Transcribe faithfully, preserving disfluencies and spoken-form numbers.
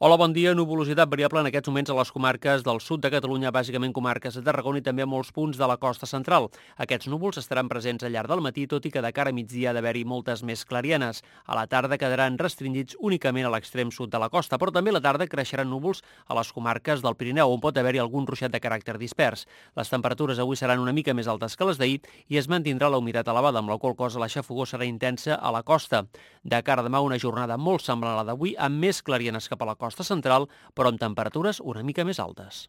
Hola, bon dia. Nuvolositat variable en aquests moments a les comarques del sud de Catalunya, bàsicament comarques de Tarragona i també a molts punts de la costa central. Aquests núvols estaran presents al llarg del matí, tot i que de cara a migdia ha d'haver-hi moltes més clarienes. A la tarda quedaran restringits únicament a l'extrem sud de la costa, però també a la tarda creixeran núvols a les comarques del Pirineu, on pot haver-hi algun ruixat de caràcter dispers. Les temperatures avui seran una mica més altes que les d'ahir i es mantindrà la humitat elevada, amb la qual cosa la xafogor serà intensa a la costa. De cara a demà, una jornada molt semblant a la d'avui, amb més clarienes cap a la costa central, però amb temperatures una mica més altes.